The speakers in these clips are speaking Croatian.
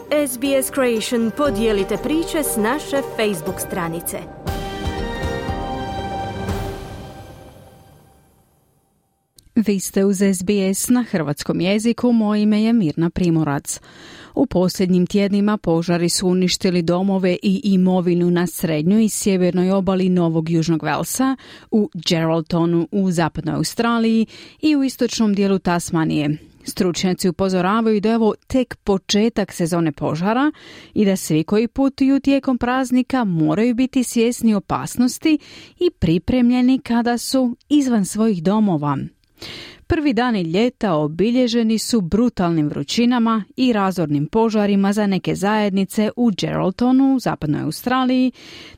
SBS Creation podijelite priče s naše Facebook stranice. Vi ste uz SBS na hrvatskom jeziku, moje ime je Mirna Primorac. U posljednjim tjednima požari su uništili domove i imovinu na srednjoj i sjevernoj obali Novog Južnog Velsa, u Geraldtonu u zapadnoj Australiji i u istočnom dijelu Tasmanije. Stručnjaci upozoravaju da je ovo tek početak sezone požara i da svi koji putuju tijekom praznika moraju biti svjesni opasnosti i pripremljeni kada su izvan svojih domova. Prvi dani ljeta obilježeni su brutalnim vrućinama i razornim požarima za neke zajednice u Geraldtonu u zapadnoj Australiji,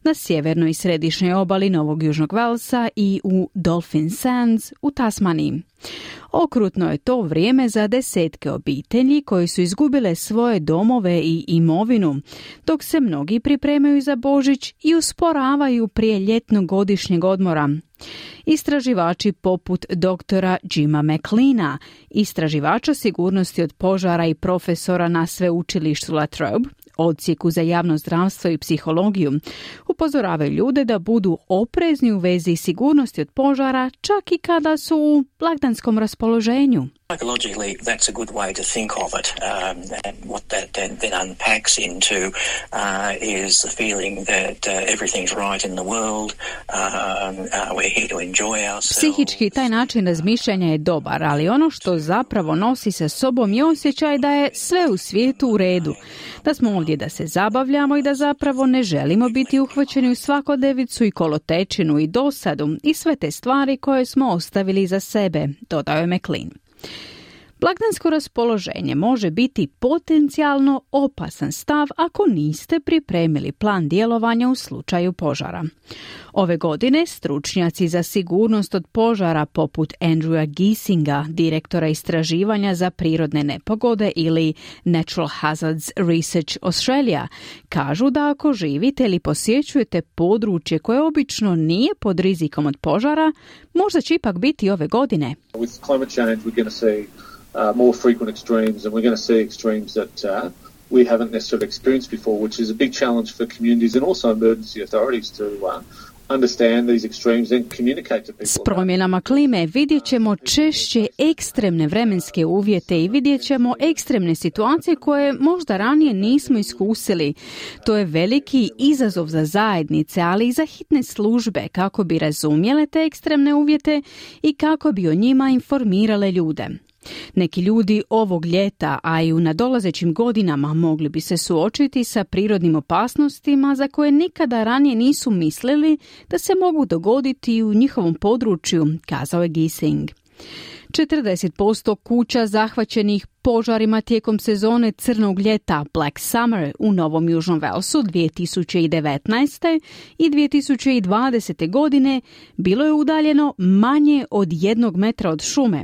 na sjevernoj i središnjoj obali Novog Južnog Velsa i u Dolphin Sands u Tasmaniji. Okrutno je to vrijeme za desetke obitelji koji su izgubile svoje domove i imovinu, dok se mnogi pripremaju za Božić i usporavaju prije ljetnog godišnjeg odmora. Istraživači poput doktora Jima McLeana, istraživača sigurnosti od požara i profesora na sveučilištu La Trobe, odsjeku za javno zdravstvo i psihologiju, upozoravaju ljude da budu oprezni u vezi sigurnosti od požara čak i kada su u blagdanskom raspoloženju. Psychologically, that's a good way to think of it. And what that then unpacks into is the feeling that everything's right in the world. We're here to enjoy ourselves. Psihički taj način razmišljanja je dobar, ali ono što zapravo nosi sa sobom je osjećaj da je sve u svijetu u redu. Da smo ovdje da se zabavljamo i da zapravo ne želimo biti uhvaćeni u svakodnevicu i kolotečinu i dosadu i sve te stvari koje smo ostavili iza sebe, dodao je McLean. Blagdansko raspoloženje može biti potencijalno opasan stav ako niste pripremili plan djelovanja u slučaju požara. Ove godine stručnjaci za sigurnost od požara poput Andrewa Giesinga, direktora istraživanja za prirodne nepogode ili Natural Hazards Research Australia, kažu da ako živite ili posjećujete područje koje obično nije pod rizikom od požara, možda će ipak biti ove godine. With climate change we're going to see more frequent extremes, and we're going to see extremes that we haven't necessarily experienced before, which is a big challenge for communities and also emergency authorities to understand these extremes and communicate to people. S promjenama klime vidjet ćemo češće ekstremne vremenske uvjete i vidjet ćemo ekstremne situacije koje možda ranije nismo iskusili. To je veliki izazov za zajednice, ali i za hitne službe kako bi razumjele te ekstremne uvjete i kako bi o njima informirale ljude. Neki ljudi ovog ljeta, a i u nadolazećim godinama mogli bi se suočiti sa prirodnim opasnostima za koje nikada ranije nisu mislili da se mogu dogoditi u njihovom području, kazao je Giesing. 40% kuća zahvaćenih požarima tijekom sezone crnog ljeta Black Summer u Novom Južnom Velsu 2019. i 2020. godine bilo je udaljeno manje od 1 metra od šume.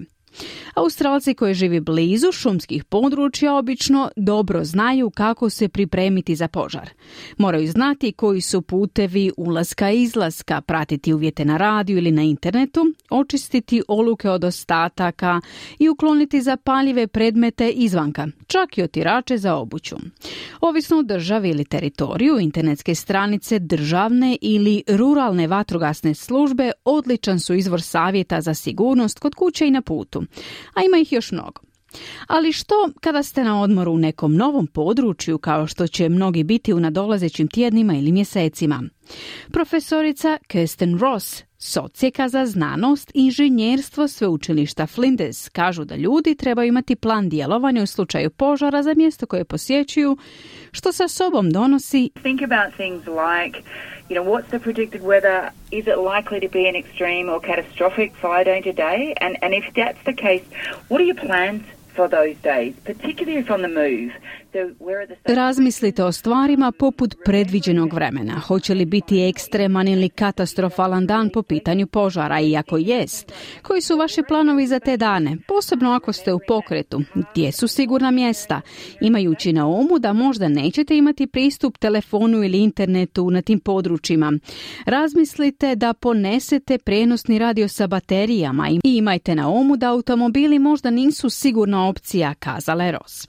Australci koji živi blizu šumskih područja obično dobro znaju kako se pripremiti za požar. Moraju znati koji su putevi ulaska i izlaska, pratiti uvjete na radiju ili na internetu, očistiti oluke od ostataka i ukloniti zapaljive predmete izvanka, čak i otirače za obuću. Ovisno o državi ili teritoriju, internetske stranice državne ili ruralne vatrogasne službe odličan su izvor savjeta za sigurnost kod kuće i na putu, a ima ih još mnogo. Ali što kada ste na odmoru u nekom novom području, kao što će mnogi biti u nadolazećim tjednima ili mjesecima? Profesorica Kirsten Ross s odsjeka za znanost i inženjerstvo sveučilišta Flinders kažu da ljudi trebaju imati plan djelovanja u slučaju požara za mjesto koje posjećuju, što sa sobom donosi think about things like, what's the predicted weather? Is it likely to be an extreme or catastrophic fire danger day? And if that's the case, what are your plans for those days, particularly if on the move? Razmislite o stvarima poput predviđenog vremena. Hoće li biti ekstreman ili katastrofalan dan po pitanju požara? I ako jest, koji su vaši planovi za te dane? Posebno ako ste u pokretu. Gdje su sigurna mjesta? Imajući na umu da možda nećete imati pristup telefonu ili internetu na tim područjima. Razmislite da ponesete prijenosni radio sa baterijama i imajte na umu da automobili možda nisu sigurna opcija, kazala je Ross.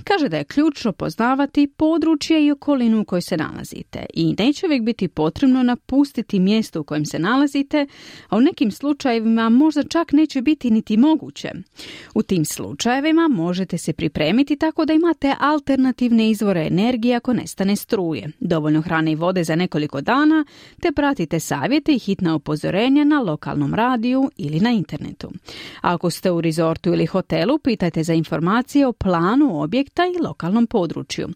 Kaže da je ključno poznavati područje i okolinu u kojoj se nalazite i neće uvijek biti potrebno napustiti mjesto u kojem se nalazite, a u nekim slučajevima možda čak neće biti niti moguće. U tim slučajevima možete se pripremiti tako da imate alternativne izvore energije ako nestane struje, dovoljno hrane i vode za nekoliko dana, te pratite savjete i hitna upozorenja na lokalnom radiju ili na internetu. A ako ste u rezortu ili hotelu, pitajte za informacije o planu objekta i lokalnom području.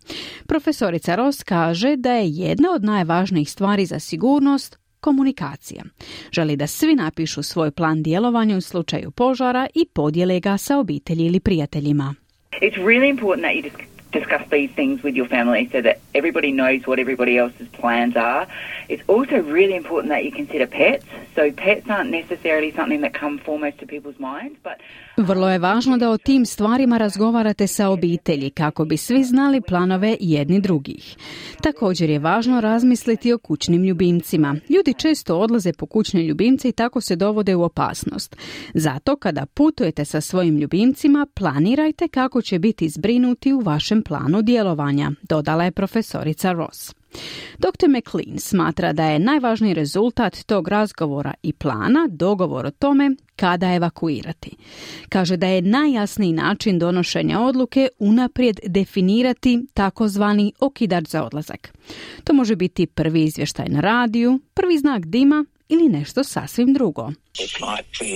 Profesorica Ross kaže da je jedna od najvažnijih stvari za sigurnost komunikacija. Želi da svi napišu svoj plan djelovanja u slučaju požara i podijele ga sa obitelji ili prijateljima. It's really important that you discuss these things with your family so that everybody knows what everybody else's plans are. It's also really important that you consider pets. So pets aren't necessarily something that come foremost to people's minds, but vrlo je važno da o tim stvarima razgovarate sa obitelji kako bi svi znali planove jedni drugih. Također je važno razmisliti o kućnim ljubimcima. Ljudi često odlaze po kućne ljubimce i tako se dovode u opasnost. Zato kada putujete sa svojim ljubimcima, planirajte kako će biti zbrinuti u vašem planu djelovanja, dodala je profesorica Ross. Dr. McLean smatra da je najvažniji rezultat tog razgovora i plana dogovor o tome kada evakuirati. Kaže da je najjasniji način donošenja odluke unaprijed definirati takozvani okidač za odlazak. To može biti prvi izvještaj na radiju, prvi znak dima ili nešto sasvim drugo. It might be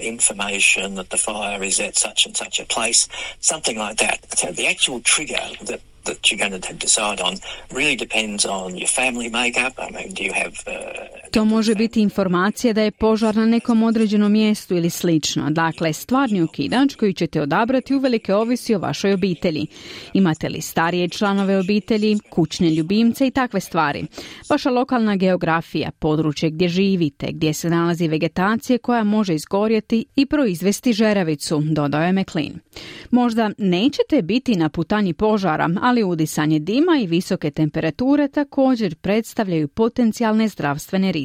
information that the fire is at such and such a place, something like that. So the actual trigger that you're going to decide on really depends on your family makeup. I mean, do you have to može biti informacija da je požar na nekom određenom mjestu ili slično. Dakle, stvarni okidač koji ćete odabrati uvelike ovisi o vašoj obitelji. Imate li starije članove obitelji, kućne ljubimce i takve stvari. Vaša lokalna geografija, područje gdje živite, gdje se nalazi vegetacija koja može izgorjeti i proizvesti žeravicu, dodao je McLean. Možda nećete biti na putanji požara, ali udisanje dima i visoke temperature također predstavljaju potencijalne zdravstvene rizike.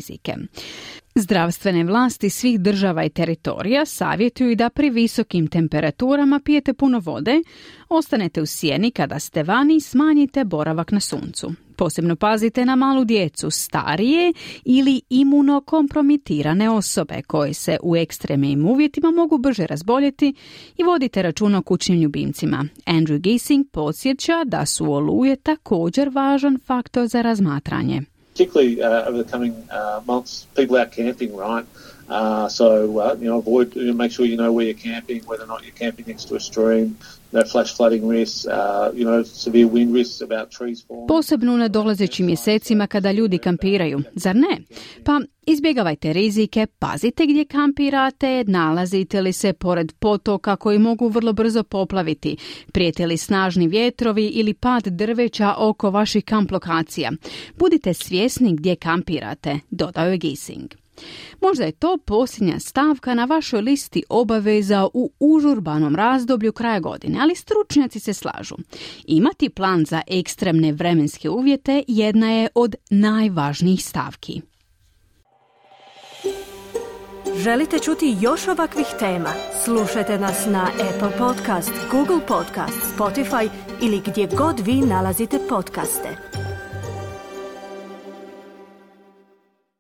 Zdravstvene vlasti svih država i teritorija savjetuju da pri visokim temperaturama pijete puno vode, ostanete u sjeni kada ste vani i smanjite boravak na suncu. Posebno pazite na malu djecu, starije ili imunokompromitirane osobe koje se u ekstremnim uvjetima mogu brže razboljeti i vodite računa o kućnim ljubimcima. Andrew Gissing podsjeća da su oluje također važan faktor za razmatranje. Particularly over the coming months, people out camping, right? Avoid, make sure you know where you're camping, whether or not you're camping next to a stream, no flash flooding risks, severe wind risks about trees falling. Posebno u nadolazećim mjesecima kada ljudi kampiraju, zar ne? Pa izbjegavajte rizike, pazite gdje kampirate, nalazite li se pored potoka koji mogu vrlo brzo poplaviti, prijete li snažni vjetrovi ili pad drveća oko vaših kamp lokacija. Budite svjesni gdje kampirate, dodao je Gissing. Možda je to posljednja stavka na vašoj listi obaveza u užurbanom razdoblju kraja godine, ali stručnjaci se slažu. Imati plan za ekstremne vremenske uvjete jedna je od najvažnijih stavki. Želite čuti još ovakvih tema? Slušajte nas na Apple Podcast, Google Podcast, Spotify ili gdje god vi nalazite podcaste.